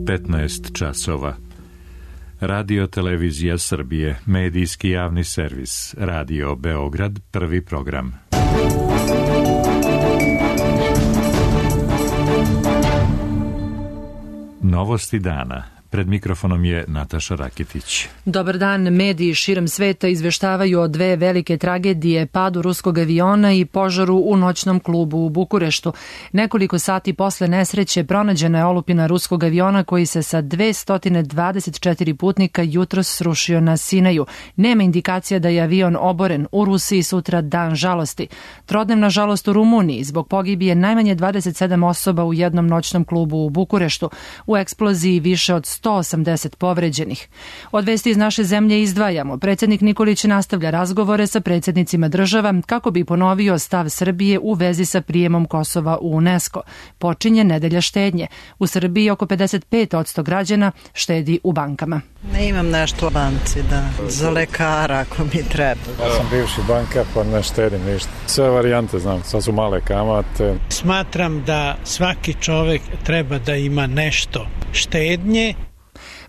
15 časova. Radio Televizija Srbije, medijski javni servis, Radio Beograd, prvi program. Novosti dana. Pred mikrofonom je Nataša Raketić. Dobar dan. Mediji širom sveta izveštavaju o dve velike tragedije, padu ruskog aviona i požaru u noćnom klubu u Bukureštu. Nekoliko sati posle nesreće pronađena je olupina ruskog aviona koji se sa 224 putnika jutros srušio na Sinaju. Nema indikacija da je avion oboren. U Rusiji sutra dan žalosti. Trodnevna žalost u Rumuniji zbog pogibije najmanje 27 osoba u jednom noćnom klubu u Bukureštu. U eksploziji više od 180 povređenih. Od vesti iz naše zemlje izdvajamo. Predsjednik Nikolić nastavlja razgovore sa predsjednicima država kako bi ponovio stav Srbije u vezi sa prijemom Kosova u UNESCO. Počinje nedelja štednje. U Srbiji oko 55% građana štedi u bankama. Ne imam nešto u banci, za lekara ako mi treba. Ja sam bivši bankar pa ne štedim ništa. Sve varijante znam, sad su male kamate. Smatram da svaki čovjek treba da ima nešto štednje.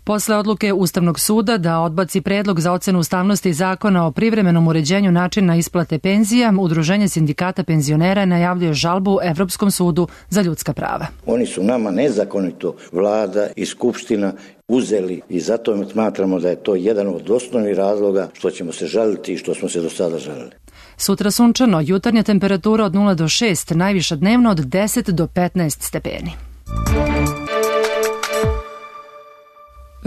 Posle odluke Ustavnog suda da odbaci predlog za ocenu ustavnosti zakona o privremenom uređenju načina isplate penzija, Udruženje sindikata penzionera najavljuje žalbu Evropskom sudu za ljudska prava. Oni su nama nezakonito vlada i skupština uzeli i zato smatramo da je to jedan od osnovnih razloga što ćemo se žaliti i što smo se do sada žalili. Sutra sunčano, jutarnja temperatura od 0 do 6, najviša dnevno od 10 do 15 stepeni.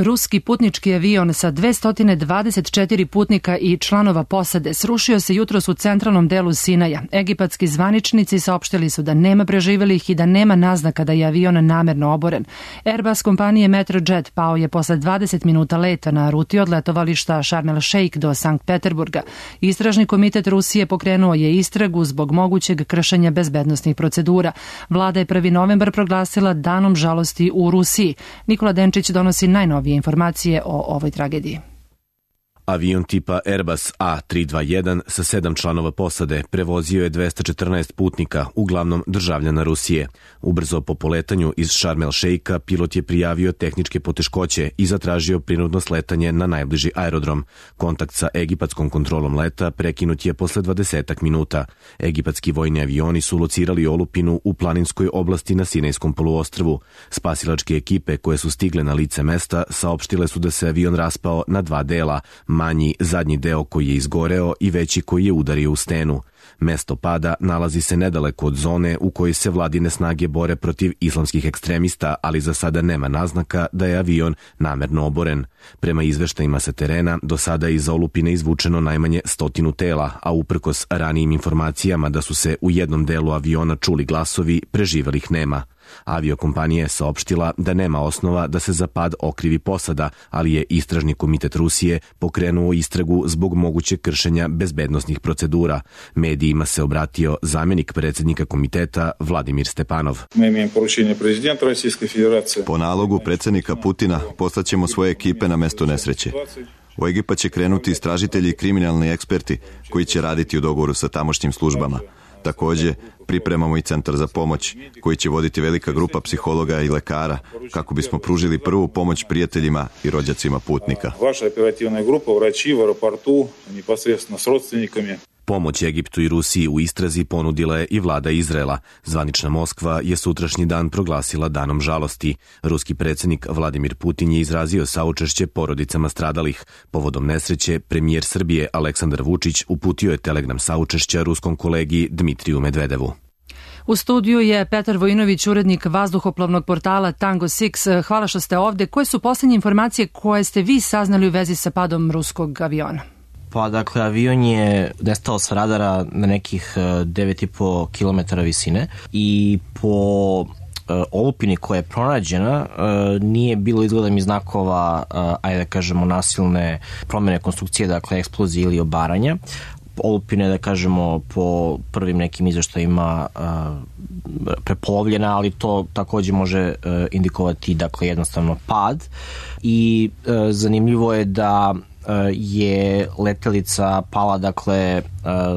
Ruski putnički avion sa 224 putnika i članova posade srušio se jutros u centralnom delu Sinaja. Egipatski zvaničnici saopštili su da nema preživelih i da nema naznaka da je avion namerno oboren. Airbus kompanije Metrojet pao je posle 20 minuta leta na ruti od letovališta Sharm el Sheikh do Sankt Peterburga. Istražni komitet Rusije pokrenuo je istragu zbog mogućeg kršenja bezbednosnih procedura. Vlada je 1. novembar proglasila danom žalosti u Rusiji. Nikola Denčić donosi najnovije informacije o ovoj tragediji. Avion tipa Airbus A321 sa 7 članova posade prevozio je 214 putnika, uglavnom državljana Rusije. Ubrzo po poletanju iz Sharm el Sheikha pilot je prijavio tehničke poteškoće i zatražio prinudno sletanje na najbliži aerodrom. Kontakt sa egipatskom kontrolom leta prekinut je posle 20 minuta. Egipatski vojni avioni su locirali olupinu u planinskoj oblasti na Sinajskom poluostrvu. Spasilačke ekipe koje su stigle na lice mesta saopštile su da se avion raspao na dva dela, manji zadnji deo koji je izgoreo i veći koji je udario u stenu. Mesto pada nalazi se nedaleko od zone u kojoj se vladine snage bore protiv islamskih ekstremista, ali za sada nema naznaka da je avion namerno oboren. Prema izveštajima sa terena, do sada je iz olupine izvučeno najmanje 100 tela, a uprkos ranijim informacijama da su se u jednom delu aviona čuli glasovi, preživelih nema. Aviokompanija je saopštila da nema osnova da se za pad okrivi posada, ali je Istražni komitet Rusije pokrenuo istragu zbog mogućeg kršenja bezbednosnih procedura. Medijima se obratio zamjenik predsjednika komiteta Vladimir Stepanov. Po nalogu predsjednika Putina poslaćemo svoje ekipe na mesto nesreće. U Egipat će krenuti istražitelji i kriminalni eksperti koji će raditi u dogovoru sa tamošnjim službama. Također, pripremamo i centar za pomoć, koji će voditi velika grupa psihologa i lekara, kako bismo pružili prvu pomoć prijateljima i rođacima putnika. Vaša operativna grupa vraći u aeroportu, neposredno s rodstvenikami. Pomoć Egiptu i Rusiji u istrazi ponudila je i vlada Izraela. Zvanična Moskva je sutrašnji dan proglasila danom žalosti. Ruski predsjednik Vladimir Putin je izrazio saučešće porodicama stradalih. Povodom nesreće, premijer Srbije Aleksandar Vučić uputio je telegram saučešća ruskom kolegi Dmitriju Medvedevu. U studiju je Petar Vojinović, urednik vazduhoplovnog portala Tango 6. Hvala što ste ovdje. Koje su posljednje informacije koje ste vi saznali u vezi sa padom ruskog aviona? Pa dakle, avion je nestao sa radara na nekih 9,5 km visine i po olupini koja je pronađena nije bilo izgleda mi znakova, ajde da kažemo, nasilne promjene konstrukcije, dakle eksplozije ili obaranja. Olupina, da kažemo, po prvim nekim izveštajima prepolovljena, ali to također može indikovati, dakle, jednostavno pad. I zanimljivo je da je letelica pala, dakle,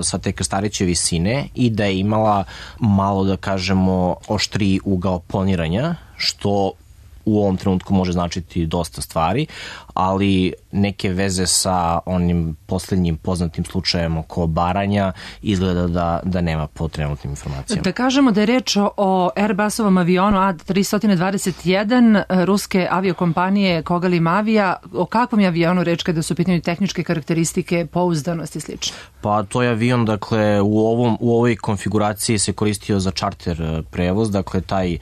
sa te krstareće visine i da je imala malo, da kažemo, oštriji ugao planiranja, što u ovom trenutku može značiti dosta stvari, ali neke veze sa onim poslednjim poznatim slučajem oko Baranja izgleda da nema po trenutnim informacijama. Da kažemo da je reč o Airbusovom avionu A321 ruske aviokompanije Kogalim Avia. O kakvom je avionu reč kada su u pitanju tehničke karakteristike, pouzdanost i slično? Pa to je avion, dakle, u ovoj konfiguraciji se koristio za čarter prevoz, dakle, taj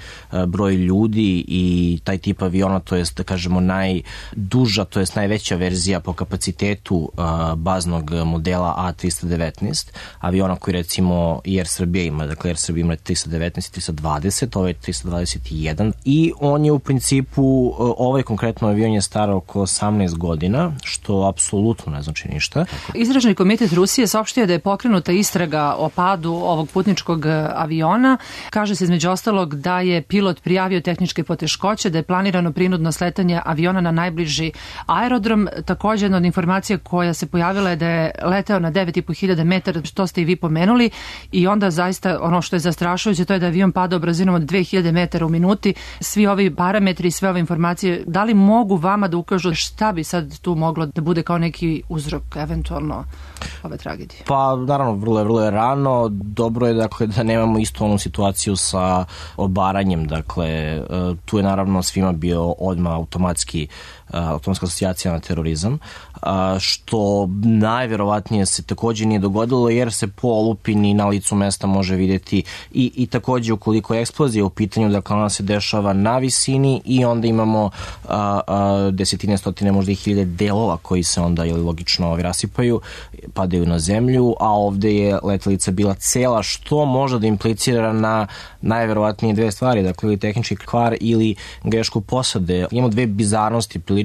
broj ljudi i taj tip aviona, to jest, da kažemo, najduža, to jest najveća verzija po kapacitetu baznog modela A319, aviona koji recimo i Air Srbija ima, dakle Air Srbija ima 319 i 320, ovo je 321 i on je u principu, ovaj konkretno avion je star oko 18 godina, što apsolutno ne znači ništa. Istražni komitet Rusije saopštio da je pokrenuta istraga o padu ovog putničkog aviona. Kaže se između ostalog da je pilot prijavio tehničke poteškoće, da je planirano prinudno sletanje aviona na najbliži aerodrom. Također jedna od informacija koja se pojavila je da je leteo na 9.500 metara, što ste i vi pomenuli, i onda zaista ono što je zastrašujuće to je da je avion padao brzinom od 2000 metara u minuti. Svi ovi parametri i sve ove informacije, da li mogu vama da ukažu šta bi sad tu moglo da bude kao neki uzrok eventualno ove tragedije? Pa naravno, vrlo je rano. Dobro je, dakle, da nemamo istu onu situaciju sa obaranjem. Dakle, tu je naravno svima bio odmah automatska asocijacija na terorizam, što najverovatnije se također nije dogodilo jer se po olupini na licu mesta može vidjeti i također ukoliko je eksplozija u pitanju, dakle ona se dešava na visini i onda imamo desetine, stotine, možda i hiljade delova koji se onda logično rasipaju, padaju na zemlju, a ovde je letelica bila cela, što može da implicira na najverovatnije dve stvari, dakle ili tehnički kvar ili grešku posade. Imamo dve bizarnosti prilične.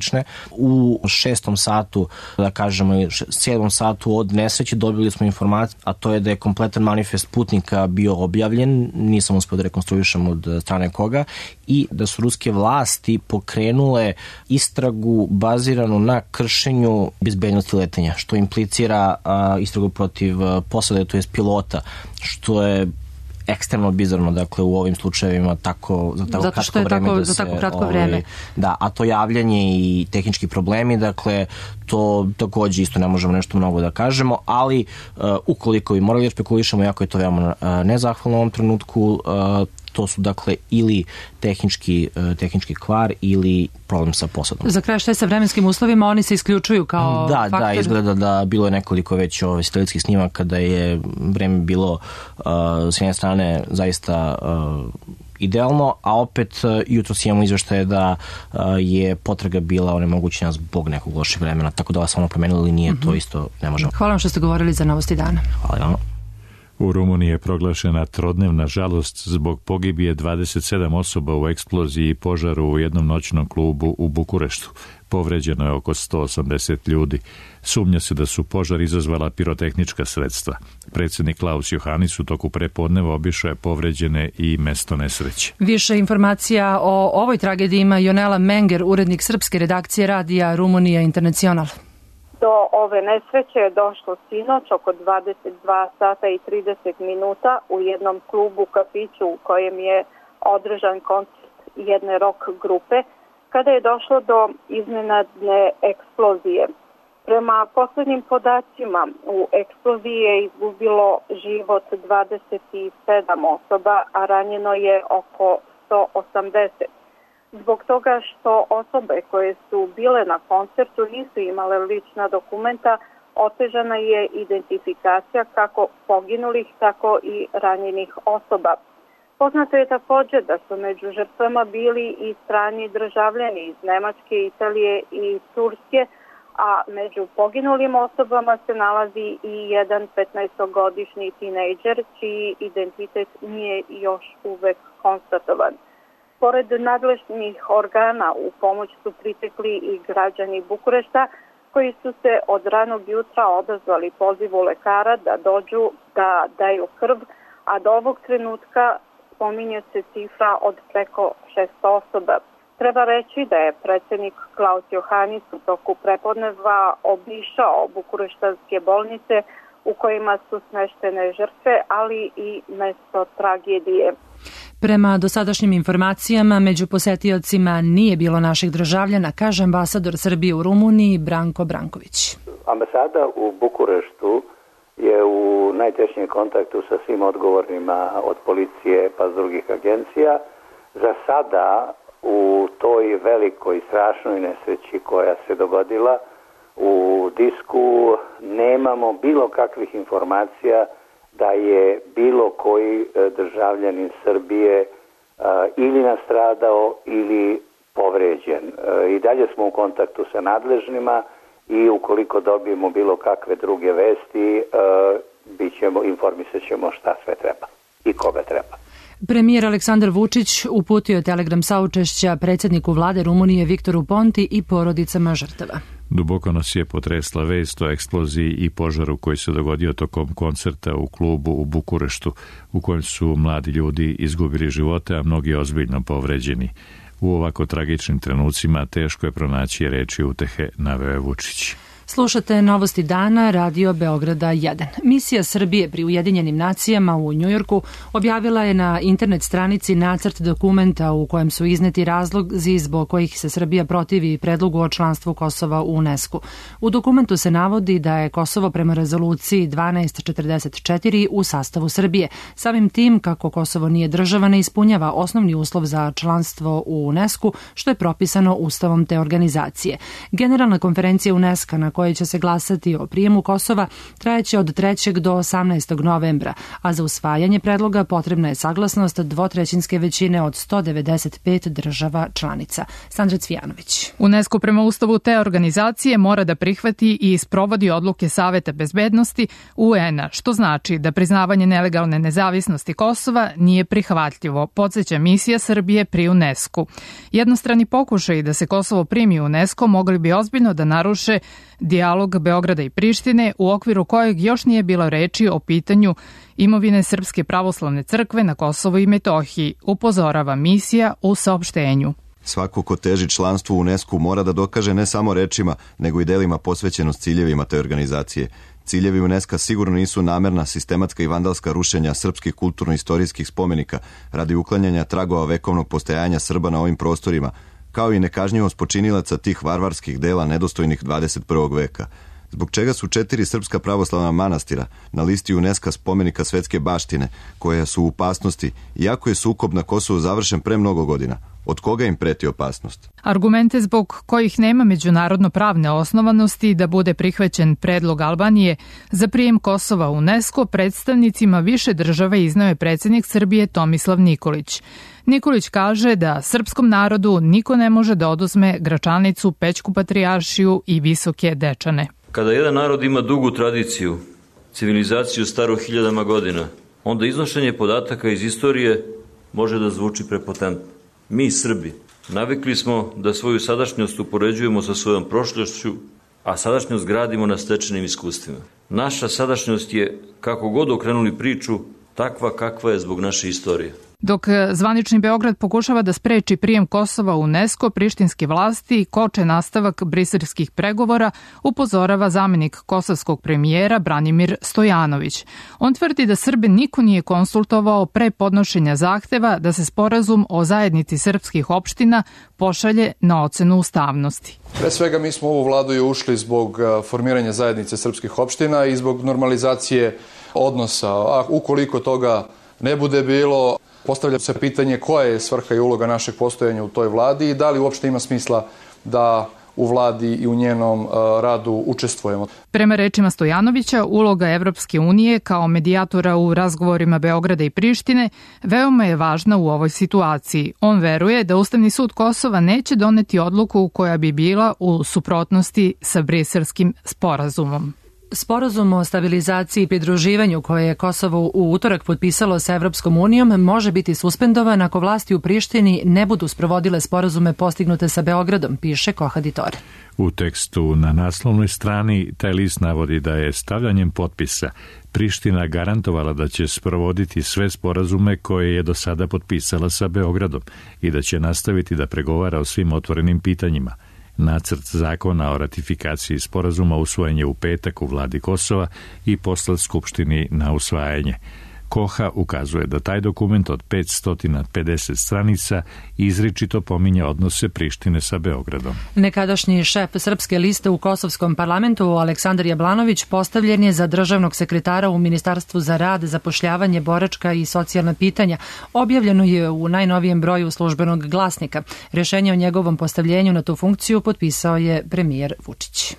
U 6. satu, da kažemo 7. satu od nesreće dobili smo informaciju, a to je da je kompletan manifest putnika bio objavljen, nisam uspio da rekonstruišem od strane koga, i da su ruske vlasti pokrenule istragu baziranu na kršenju bezbednosti letenja, što implicira istragu protiv posade, to jest pilota, što je ekstremno bizarno, dakle, u ovim slučajevima za tako kratko vreme. Da, a to javljanje i tehnički problemi, dakle, to također isto ne možemo nešto mnogo da kažemo, ali ukoliko bi morali da špekulišemo, jako je to veoma nezahvalno u ovom trenutku, to su, dakle, ili tehnički kvar ili problem sa posadom. Za kraj, šta je sa vremenskim uslovima? Oni se isključuju kao faktor? Da, izgleda da bilo je nekoliko već satelitskih snimaka da je vreme bilo s jedne strane zaista idealno, a opet jutros imamo izveštaje da je potraga bila onemogućena zbog nekog lošeg vremena, tako da vas ono promenilo ili nije, to isto ne možemo. Hvala vam što ste govorili za Novosti dana. Hvala vam. U Rumuniji je proglašena trodnevna žalost zbog pogibije 27 osoba u eksploziji i požaru u jednom noćnom klubu u Bukureštu. Povređeno je oko 180 ljudi. Sumnja se da su požar izazvala pirotehnička sredstva. Predsjednik Klaus Johannis u toku prepodneva obišao je povređene i mesto nesreće. Više informacija o ovoj tragediji ima Jonela Menger, urednik srpske redakcije radija Rumunija Internacional. Do ove nesreće je došlo sinoć oko 22 sata i 30 minuta u jednom klubu kafiću u kojem je održan koncert jedne rock grupe, kada je došlo do iznenadne eksplozije. Prema poslednjim podacima, u eksploziji je izgubilo život 27 osoba, a ranjeno je oko 180. Zbog toga što osobe koje su bile na koncertu nisu imale lična dokumenta, otežana je identifikacija kako poginulih, tako i ranjenih osoba. Poznato je također da su među žrtvama bili i strani državljani iz Nemačke, Italije i Turske, a među poginulim osobama se nalazi i jedan 15-godišnji tinejdžer čiji identitet nije još uvek konstatovan. Pored nadležnih organa u pomoć su pritekli i građani Bukurešta koji su se od ranog jutra odazvali pozivu lekara da dođu da daju krv, a do ovog trenutka spominje se cifra od preko 600 osoba. Treba reći da je predsjednik Klaus Johannis u toku prepodneva obišao bukureštanske bolnice u kojima su smeštene žrtve, ali i mesto tragedije. Prema dosadašnjim informacijama, među posetiocima nije bilo naših državljana, kaže ambasador Srbije u Rumuniji Branko Branković. Ambasada u Bukureštu je u najtešnjem kontaktu sa svim odgovornima od policije pa s drugih agencija. Za sada u toj velikoj strašnoj nesreći koja se dogodila u Disku nemamo bilo kakvih informacija da je bilo koji državljanin Srbije ili nastradao ili povređen. I dalje smo u kontaktu sa nadležnima i ukoliko dobijemo bilo kakve druge vesti, informisat ćemo šta sve treba i koga treba. Premijer Aleksandar Vučić uputio je telegram saučešća predsjedniku vlade Rumunije Viktoru Ponti i porodicama žrtava. Duboko nas je potresla vest o eksploziji i požaru koji se dogodio tokom koncerta u klubu u Bukureštu, u kojem su mladi ljudi izgubili živote, a mnogi ozbiljno povređeni. U ovako tragičnim trenucima teško je pronaći reči utehe, naveo je Vučić. Slušate Novosti dana, Radio Beograda 1. Misija Srbije pri Ujedinjenim nacijama u Njujorku objavila je na internet stranici nacrt dokumenta u kojem su izneti razlozi zbog kojih se Srbija protivi predlogu o članstvu Kosova u UNESCO. U dokumentu se navodi da je Kosovo prema rezoluciji 1244 u sastavu Srbije. Samim tim, kako Kosovo nije država, ne ispunjava osnovni uslov za članstvo u UNESCO, što je propisano ustavom te organizacije. Generalna konferencija UNESCO na kojoj će se glasati o prijemu Kosova trajeće od 3. do 18. novembra, a za usvajanje predloga potrebna je saglasnost dvotrećinske većine od 195 država članica. Sandra Cvijanović. UNESCO prema ustavu te organizacije mora da prihvati i sprovodi odluke Saveta bezbednosti UN-a, što znači da priznavanje nelegalne nezavisnosti Kosova nije prihvatljivo, podsjeća misija Srbije pri UNESCO. Jednostrani pokušaj da se Kosovo primi u UNESCO mogli bi ozbiljno da naruše dijalog Beograda i Prištine, u okviru kojeg još nije bilo reči o pitanju imovine Srpske pravoslavne crkve na Kosovu i Metohiji, upozorava misija u saopštenju. Svako ko teži članstvu u UNESCO mora da dokaže ne samo rečima, nego i delima posvećenost ciljevima te organizacije. Ciljevi UNESCO sigurno nisu namerna, sistematska i vandalska rušenja srpskih kulturno-istorijskih spomenika radi uklanjanja tragova vekovnog postojanja Srba na ovim prostorima, kao i nekažnjivost počinilaca tih varvarskih dela nedostojnih 21. veka. Zbog čega su 4 srpska pravoslavna manastira na listi UNESCO spomenika svetske baštine, koje su u opasnosti, iako je sukob na Kosovu završen pre mnogo godina? Od koga im preti opasnost? Argumente zbog kojih nema međunarodno pravne osnovanosti da bude prihvaćen predlog Albanije za prijem Kosova u UNESCO predstavnicima više država izneo je predsjednik Srbije Tomislav Nikolić. Nikolić kaže da srpskom narodu niko ne može da oduzme Gračanicu, Pećku patrijaršiju i Visoke Dečane. Kada jedan narod ima dugu tradiciju, civilizaciju staru hiljadama godina, onda iznošenje podataka iz istorije može da zvuči prepotentno. Mi, Srbi, navikli smo da svoju sadašnjost upoređujemo sa svojom prošlošću, a sadašnjost gradimo na stečenim iskustvima. Naša sadašnjost je, kako god okrenuli priču, takva kakva je zbog naše istorije. Dok zvanični Beograd pokušava da spreči prijem Kosova u UNESCO, prištinske vlasti koče nastavak briselskih pregovora, upozorava zamenik kosovskog premijera Branimir Stojanović. On tvrdi da Srbe niko nije konsultovao pre podnošenja zahteva da se sporazum o zajednici srpskih opština pošalje na ocenu ustavnosti. Pre svega mi smo u ovu vladu i ušli zbog formiranja zajednice srpskih opština i zbog normalizacije odnosa. A ukoliko toga ne bude bilo, postavlja se pitanje koja je svrha i uloga našeg postojanja u toj vladi i da li uopšte ima smisla da u vladi i u njenom radu učestvujemo. Prema rečima Stojanovića, uloga Evropske unije kao medijatora u razgovorima Beograda i Prištine veoma je važna u ovoj situaciji. On veruje da Ustavni sud Kosova neće doneti odluku koja bi bila u suprotnosti sa Briselskim sporazumom. Sporazum o stabilizaciji i pridruživanju koje je Kosovo u utorak potpisalo sa Evropskom unijom može biti suspendovan ako vlasti u Prištini ne budu sprovodile sporazume postignute sa Beogradom, piše Kohaditore. U tekstu na naslovnoj strani taj list navodi da je stavljanjem potpisa Priština garantovala da će sprovoditi sve sporazume koje je do sada potpisala sa Beogradom i da će nastaviti da pregovara o svim otvorenim pitanjima. Nacrt zakona o ratifikaciji sporazuma usvojen je u petak u vladi Kosova i poslat Skupštini na usvajanje. Koha ukazuje da taj dokument od 550 stranica izričito pominje odnose Prištine sa Beogradom. Nekadašnji šef Srpske liste u Kosovskom parlamentu Aleksandar Jablanović postavljen je za državnog sekretara u Ministarstvu za rad, zapošljavanje, boračka i socijalna pitanja. Objavljeno je u najnovijem broju Službenog glasnika. Rješenje o njegovom postavljenju na tu funkciju potpisao je premijer Vučić.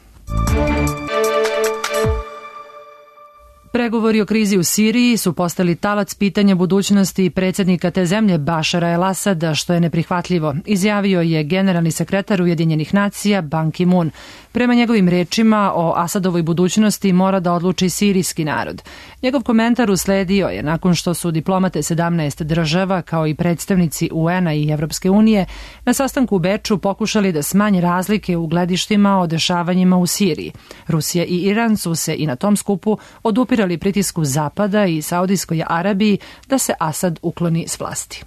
Pregovori o krizi u Siriji su postali talac pitanja budućnosti predsjednika te zemlje Bašara el-Asada, što je neprihvatljivo, izjavio je generalni sekretar Ujedinjenih nacija Ban Ki-moon. Prema njegovim rečima o Asadovoj budućnosti mora da odluči sirijski narod. Njegov komentar usledio je nakon što su diplomate 17 država kao i predstavnici UN-a i Evropske unije na sastanku u Beču pokušali da smanje razlike u gledištima o dešavanjima u Siriji. Rusija i Iran su se i na tom skupu odupirali pritisku Zapada i Saudijskoj Arabiji da se Asad ukloni s vlasti.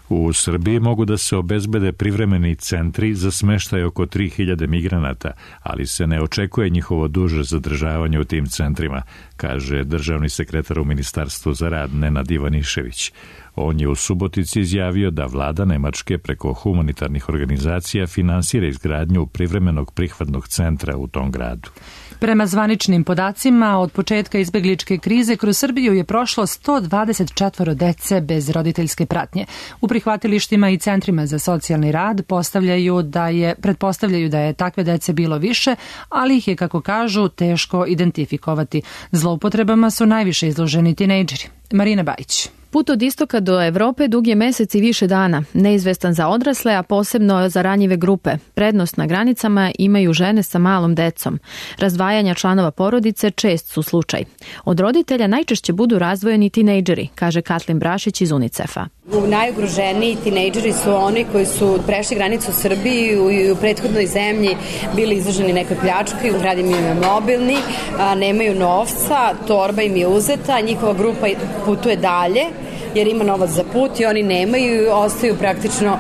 U Srbiji mogu da se obezbede privremeni centri za smeštaj oko 3000 migranata, ali se ne očekuje njihovo duže zadržavanje u tim centrima, kaže državni sekretar u Ministarstvu za rad Nenad Ivanišević. On je u Subotici izjavio da vlada Nemačke preko humanitarnih organizacija finansira izgradnju privremenog prihvatnog centra u tom gradu. Prema zvaničnim podacima, od početka izbegličke krize kroz Srbiju je prošlo 124 dece bez roditeljske pratnje. U prihvatilištima i centrima za socijalni rad pretpostavljaju da je takve dece bilo više, ali ih je, kako kažu, teško identifikovati. Zloupotrebama su najviše izloženi tinejdžeri. Marina Bajić. Put od istoka do Evrope dug je mesec i više dana, neizvestan za odrasle, a posebno za ranjive grupe. Prednost na granicama imaju žene sa malom decom. Razdvajanja članova porodice čest su slučaj. Od roditelja najčešće budu razdvojeni tinejdžeri, kaže Katlin Brašić iz UNICEF-a. Najugroženiji tinejdžeri su oni koji su prešli granicu u Srbiji i u prethodnoj zemlji bili izloženi nekoj pljački, grad im je mobilni, nemaju novca, torba im je uzeta, njihova grupa putuje dalje jer ima novac za put i oni nemaju i ostaju praktično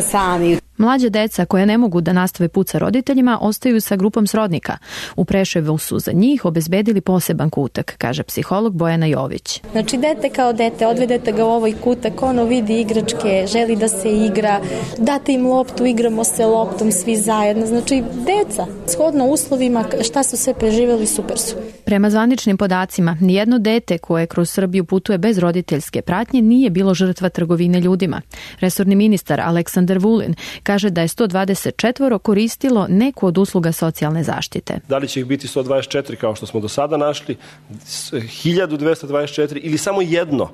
sami. Mlađe deca koje ne mogu da nastave put sa roditeljima ostaju sa grupom srodnika. U Preševu su za njih obezbedili poseban kutak, kaže psiholog Bojana Jović. Znači dete kao dete, odvedete ga u ovaj kutak, ono vidi igračke, želi da se igra, date im loptu, igramo se loptom svi zajedno. Znači deca, shodno uslovima šta su sve preživjeli, super su. Prema zvaničnim podacima, nijedno dete koje kroz Srbiju putuje bez roditeljske pratnje nije bilo žrtva trgovine ljudima. Resorni ministar Aleksandar Vulin kaže da je 124 koristilo neku od usluga socijalne zaštite. Da li će ih biti 124 kao što smo do sada našli, 1224 ili samo jedno?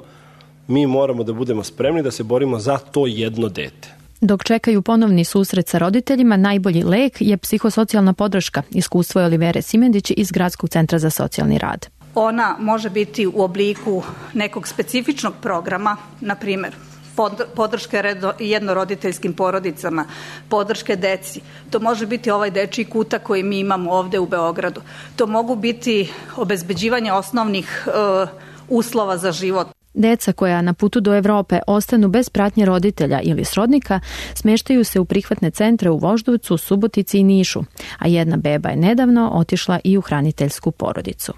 Mi moramo da budemo spremni da se borimo za to jedno dete. Dok čekaju ponovni susret sa roditeljima, najbolji lek je psihosocijalna podrška, iskustvo je Olivere Simendić iz Gradskog centra za socijalni rad. Ona može biti u obliku nekog specifičnog programa, na primjer podrške jednoroditeljskim porodicama, podrške deci. To može biti ovaj dečiji kutak koji mi imamo ovde u Beogradu. To mogu biti obezbeđivanje osnovnih uslova za život. Deca koja na putu do Evrope ostanu bez pratnje roditelja ili srodnika smeštaju se u prihvatne centre u Voždovcu, Subotici i Nišu, a jedna beba je nedavno otišla i u hraniteljsku porodicu.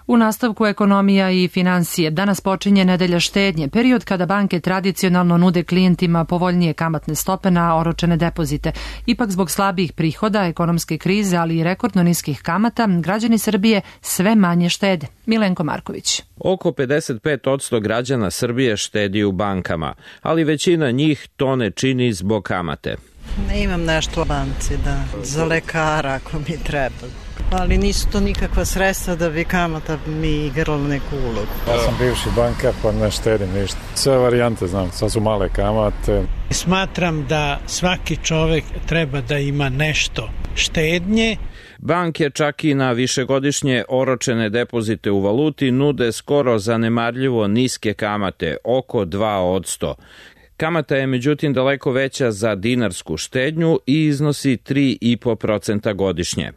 U nastavku ekonomija i financije danas počinje nedelja štednje, period kada banke tradicionalno nude klijentima povoljnije kamatne stope na oročene depozite. Ipak zbog slabijih prihoda, ekonomske krize, ali i rekordno niskih kamata, građani Srbije sve manje štede. Milenko Marković. Oko 55% građana Srbije štedi u bankama, ali većina njih to ne čini zbog kamate. Ne imam nešto u banci, za lekara ako mi treba. Ali nisu to nikakva sredstva da bi kamata mi igrala neku ulogu. Ja sam bivši bankar pa ne štedim ništa. Sve varijante znam, sad su male kamate. Smatram da svaki čovek treba da ima nešto štednje. Banke čak i na višegodišnje oročene depozite u valuti nude skoro zanemarljivo niske kamate, oko 2%. Kamata je međutim daleko veća za dinarsku štednju i iznosi 3,5% godišnje.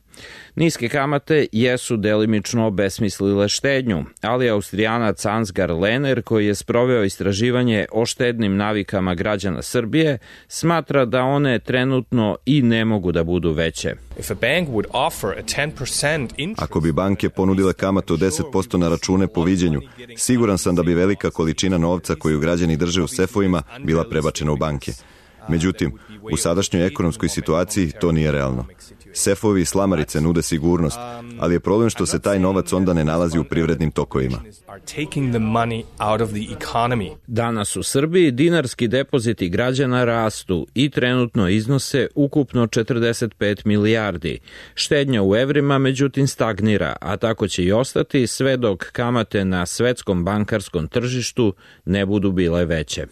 Niske kamate jesu delimično obesmislile štednju, ali Austrijanac Ansgar Lehner, koji je sproveo istraživanje o štednim navikama građana Srbije, smatra da one trenutno i ne mogu da budu veće. Ako bi banke ponudile kamatu od 10% na račune po viđenju, siguran sam da bi velika količina novca koju građani drže u sefovima bila prebačena u banke. Međutim, u sadašnjoj ekonomskoj situaciji to nije realno. Sefovi i slamarice nude sigurnost, ali je problem što se taj novac onda ne nalazi u privrednim tokovima. Danas u Srbiji dinarski depoziti građana rastu i trenutno iznose ukupno 45 milijardi. Štednja u evrima međutim stagnira, a tako će i ostati sve dok kamate na svetskom bankarskom tržištu ne budu bile veće.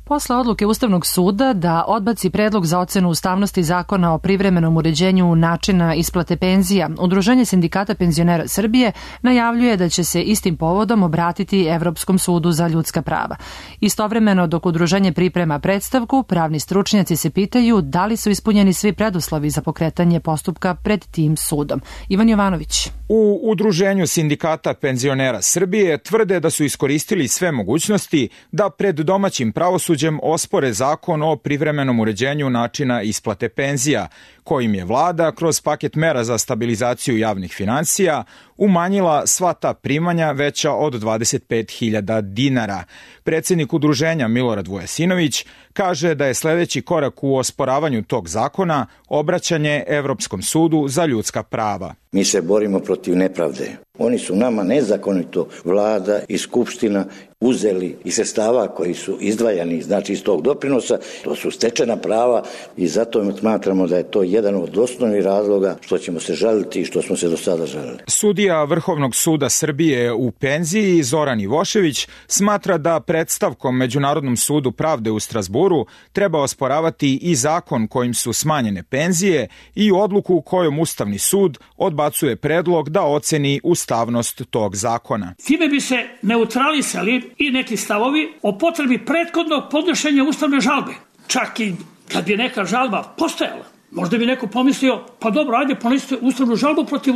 Posle odluke Ustavnog suda da odbaci predlog za ocenu ustavnosti zakona o privremenom uređenju načina isplate penzija, Udruženje sindikata penzionera Srbije najavljuje da će se istim povodom obratiti Evropskom sudu za ljudska prava. Istovremeno, dok udruženje priprema predstavku, pravni stručnjaci se pitaju da li su ispunjeni svi preduslovi za pokretanje postupka pred tim sudom. Ivan Jovanović. U Udruženju sindikata penzionera Srbije tvrde da su iskoristili sve mogućnosti da pred domaćim pravosuđem ospore zakon o privremenom uređenju načina isplate penzija, kojim je vlada kroz paket mera za stabilizaciju javnih finansija umanjila sva ta primanja veća od 25.000 dinara. Predsjednik udruženja Milorad Vujasinović kaže da je sledeći korak u osporavanju tog zakona obraćanje Evropskom sudu za ljudska prava. Mi se borimo protiv nepravde. Oni su nama nezakonito, vlada i skupština, uzeli iz sredstava koji su izdvajani, znači iz tog doprinosa. To su stečena prava i zato smatramo da je to jedan od osnovnih razloga što ćemo se žaliti i što smo se do sada žalili. Sudija Vrhovnog suda Srbije u penziji Zoran Ivošević smatra da predstavkom Međunarodnom sudu pravde u Strazburu treba osporavati i zakon kojim su smanjene penzije i odluku kojom Ustavni sud odbacuje predlog da oceni ustavnost tog zakona. Time bi se neutralisali i neki stavovi o potrebi prethodnog podnošenja ustavne žalbe. Čak i kad bi neka žalba postojala, možda bi neko pomislio, pa dobro, ajde ponesite ustavnu žalbu protiv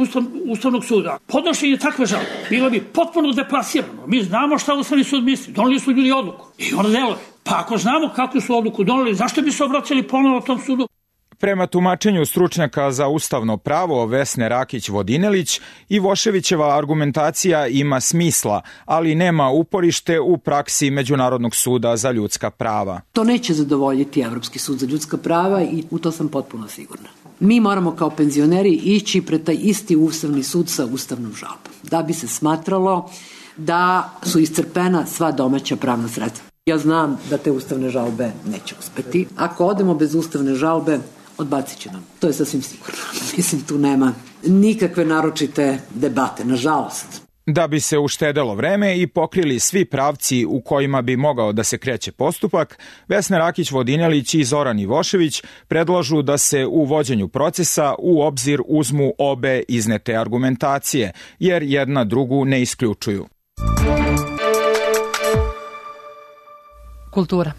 Ustavnog suda. Podnošenje takve žalbe bilo bi potpuno deplasirano. Mi znamo šta Ustavni sud misli, doneli su ljudi odluku i ona deluje. Pa ako znamo kakvu su odluku doneli, zašto bi se obraćali ponovno tom sudu? Prema tumačenju stručnjaka za ustavno pravo Vesne Rakić-Vodinelić, Ivoševićeva argumentacija ima smisla, ali nema uporište u praksi Međunarodnog suda za ljudska prava. To neće zadovoljiti Evropski sud za ljudska prava i u to sam potpuno sigurna. Mi moramo kao penzioneri ići pred taj isti Ustavni sud sa ustavnom žalbom, da bi se smatralo da su iscrpena sva domaća pravna sredstva. Ja znam da te ustavne žalbe neće uspeti. Ako odemo bez ustavne žalbe, odbacit će nam. To je sasvim sigurno. Mislim, tu nema nikakve naročite debate, nažalost. Da bi se uštedelo vreme i pokrili svi pravci u kojima bi mogao da se kreće postupak, Vesna Rakić-Vodinelić i Zoran Ivošević predlažu da se u vođenju procesa u obzir uzmu obe iznete argumentacije, jer jedna drugu ne isključuju. Kultura.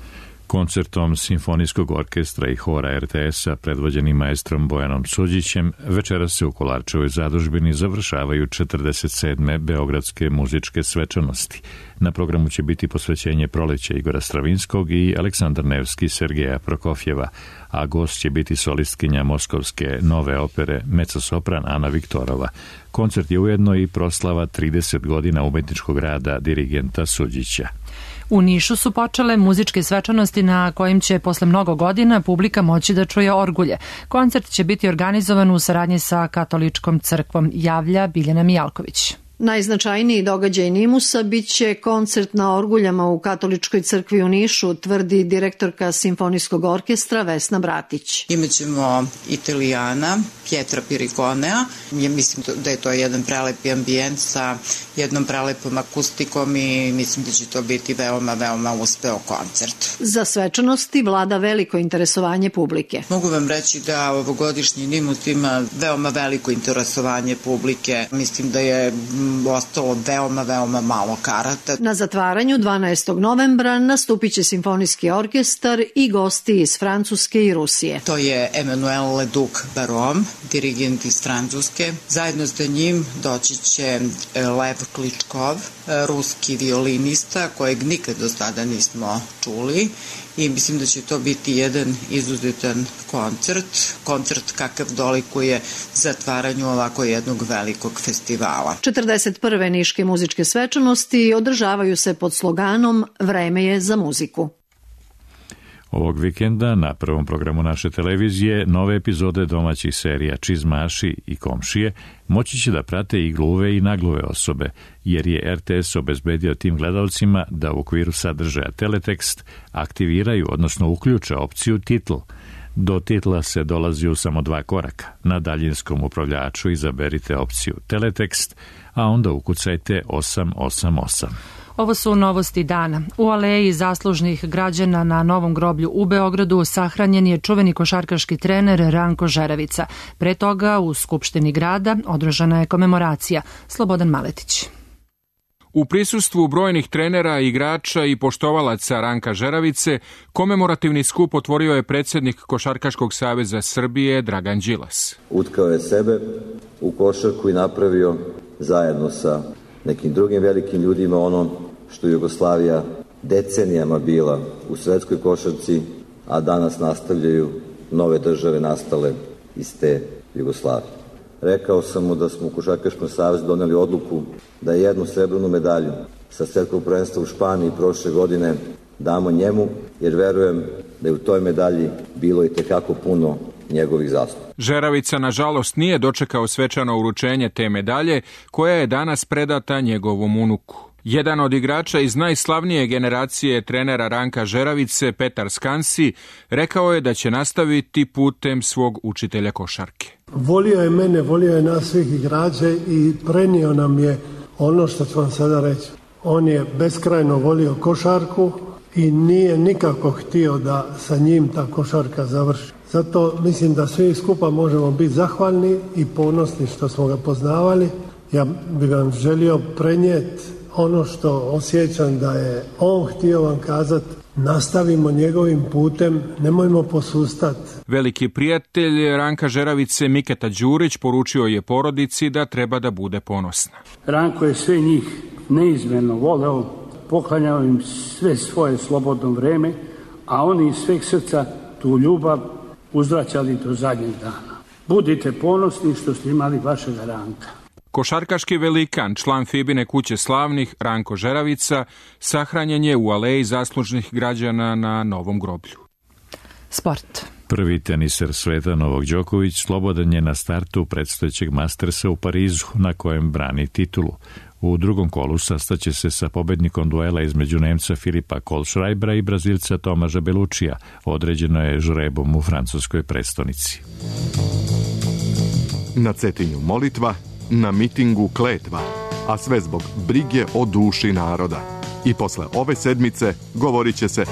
Koncertom Simfonijskog orkestra i hora RTS-a predvođenim maestrom Bojanom Suđićem večeras se u Kolarčevoj zadužbini završavaju 47. Beogradske muzičke svečanosti. Na programu će biti posvećenje proleća Igora Stravinskog i Aleksandar Nevski Sergeja Prokofjeva, a gost će biti solistkinja moskovske nove opere mezzosopran Ana Viktorova. Koncert je ujedno i proslava 30 godina umetničkog rada dirigenta Suđića. U Nišu su počele muzičke svečanosti na kojim će posle mnogo godina publika moći da čuje orgulje. Koncert će biti organizovan u saradnji sa Katoličkom crkvom, javlja Biljana Mijalković. Najznačajniji događaj Nimusa biće koncert na orguljama u Katoličkoj crkvi u Nišu, tvrdi direktorka Simfonijskog orkestra Vesna Bratić. Imaćemo Italijana, Pietra Pirikonea. Ja mislim da je to jedan prelepi ambijent sa jednom prelepom akustikom i mislim da će to biti veoma uspeo koncert. Za svečanosti vlada veliko interesovanje publike. Mogu vam reći da ovogodišnji Nimus ima veoma veliko interesovanje publike. Mislim da je ostalo veoma malo karata. Na zatvaranju 12. novembra nastupit će simfonijski orkestar i gosti iz Francuske i Rusije. To je Emmanuel Leduc-Baron, dirigent iz Francuske. Zajedno sa njim doći će Lev Kličkov, ruski violinista kojeg nikad do sada nismo čuli i mislim da će to biti jedan izuzetan koncert kakav dolikuje zatvaranju ovako jednog velikog festivala. 41. niške muzičke svečanosti održavaju se pod sloganom Vreme je za muziku. Ovog vikenda na prvom programu naše televizije nove epizode domaćih serija Čizmaši i Komšije moći će da prate i gluve i nagluve osobe, jer je RTS obezbedio tim gledalcima da u okviru sadržaja teletekst aktiviraju, odnosno uključe opciju titl. Do titla se dolazi u samo 2 koraka. Na daljinskom upravljaču izaberite opciju teletekst, a onda ukucajte 888. Ovo su novosti dana. U aleji zaslužnih građana na Novom groblju u Beogradu sahranjen je čuveni košarkaški trener Ranko Žeravica. Pre toga u Skupštini grada održana je komemoracija. Slobodan Maletić. U prisustvu brojnih trenera, igrača i poštovalaca Ranka Žeravice, komemorativni skup otvorio je predsjednik Košarkaškog saveza Srbije Dragan Đilas. Utkao je sebe u košarku i napravio zajedno sa nekim drugim velikim ljudima ono što Jugoslavija decenijama bila u svetskoj košarci, a danas nastavljaju nove države nastale iz te Jugoslavije. Rekao sam mu da smo u Košarkaškom savezu doneli odluku da jednu srebrnu medalju sa svetskog prvenstva u Španiji prošle godine damo njemu, jer verujem da je u toj medalji bilo i tekako puno njegovih zasluga. Žeravica, nažalost, nije dočekao svečano uručenje te medalje, koja je danas predata njegovom unuku. Jedan od igrača iz najslavnije generacije trenera Ranka Žeravice, Petar Skansi, rekao je da će nastaviti putem svog učitelja košarke. Volio je mene, volio je nas svih igrača i prenio nam je ono što ću vam sada reći. On je beskrajno volio košarku i nije nikako htio da sa njim ta košarka završi. Zato mislim da svi skupa možemo biti zahvalni i ponosni što smo ga poznavali. Ja bih vam želio prenijeti ono što osjećam da je on htio vam kazati. Nastavimo njegovim putem, nemojmo posustati. Veliki prijatelj Ranka Žeravice Miketa Đurić poručio je porodici da treba da bude ponosna. Ranko je sve njih neizmjerno voleo, poklanjao im sve svoje slobodno vreme, a oni iz sveg srca tu ljubav uzvraćali do zadnjeg dana. Budite ponosni što ste imali vašega Ranka. Košarkaški velikan, član Fibine kuće slavnih, Ranko Žeravica, sahranjen je u aleji zaslužnih građana na Novom groblju. Sport. Prvi teniser sveta Novak Đoković slobodan je na startu predstojećeg Mastersa u Parizu, na kojem brani titulu. U drugom kolu sastaće se sa pobednikom duela između Nemca Filipa Kohlschreibera i Brazilca Tomaža Belučija. Određeno je žrebom u francuskoj prestonici. Na Cetinju molitva, na mitingu kletva, a sve zbog brige o duši naroda. I posle ove sedmice govorit će se,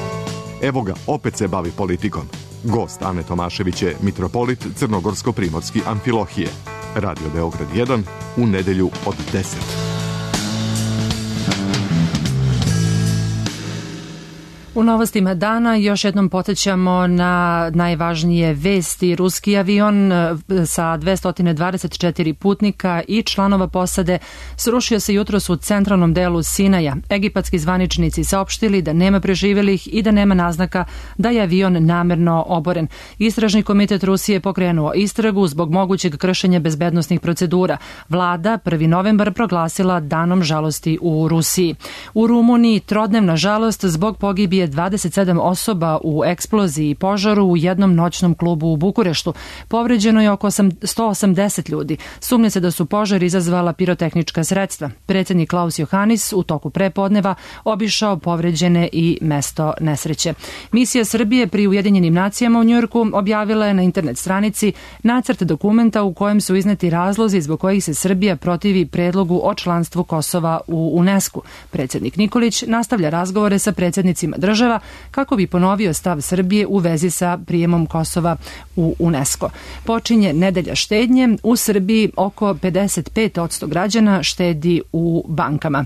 evo ga, opet se bavi politikom. Gost Ane Tomašević je mitropolit Crnogorsko-Primorski Amfilohije. Radio Beograd 1 u nedelju od 10. U novostima dana još jednom podsjećamo na najvažnije vesti. Ruski avion sa 224 putnika i članova posade srušio se jutros u centralnom delu Sinaja. Egipatski zvaničnici saopštili da nema preživelih i da nema naznaka da je avion namerno oboren. Istražni komitet Rusije pokrenuo istragu zbog mogućeg kršenja bezbednosnih procedura. Vlada 1. novembar proglasila danom žalosti u Rusiji. U Rumuniji trodnevna žalost zbog pogibije 27 osoba u eksploziji i požaru u jednom noćnom klubu u Bukureštu. Povređeno je oko 180 ljudi. Sumnja se da su požar izazvala pirotehnička sredstva. Predsjednik Klaus Johannis u toku prepodneva obišao povređene i mesto nesreće. Misija Srbije pri Ujedinjenim nacijama u Njujorku objavila je na internet stranici nacrt dokumenta u kojem su izneti razlozi zbog kojih se Srbija protivi predlogu o članstvu Kosova u UNESCO. Predsjednik Nikolić nastavlja razgovore sa predsjednicima država država kako bi ponovio stav Srbije u vezi sa prijemom Kosova u UNESCO. Počinje nedelja štednje. U Srbiji oko 55% građana štedi u bankama.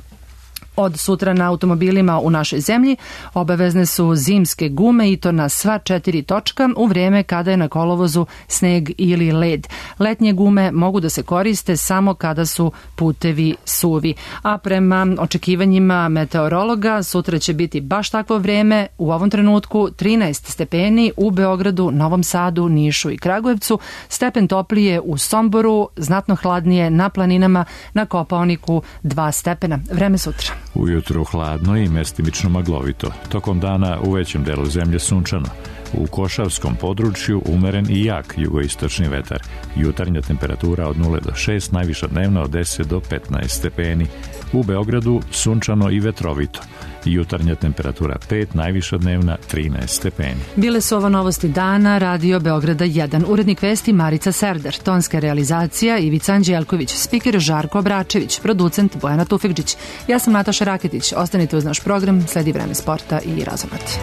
Od sutra na automobilima u našoj zemlji obavezne su zimske gume i to na sva 4 točka u vrijeme kada je na kolovozu sneg ili led. Letnje gume mogu da se koriste samo kada su putevi suvi. A prema očekivanjima meteorologa sutra će biti baš takvo vrijeme, u ovom trenutku 13 stepeni u Beogradu, Novom Sadu, Nišu i Kragujevcu, stepen toplije u Somboru, znatno hladnije na planinama, na Kopaoniku 2 stepena. Vreme sutra. Ujutru hladno i mestimično maglovito. Tokom dana u većem delu zemlje sunčano. U Košavskom području umeren i jak jugoistočni vetar. Jutarnja temperatura od 0 do 6, najviša dnevna od 10 do 15 stepeni. U Beogradu sunčano i vetrovito. Jutarnja temperatura 5, najviša dnevna 13 stepeni. Bile su ovo novosti dana, Radio Beograda 1. Urednik vesti Marica Serder, tonska realizacija Ivica Anđelković, spiker Žarko Obračević, producent Bojana Tufekđić. Ja sam Nataša Raketić. Ostanite uz naš program, sledi vreme sporta i razumati.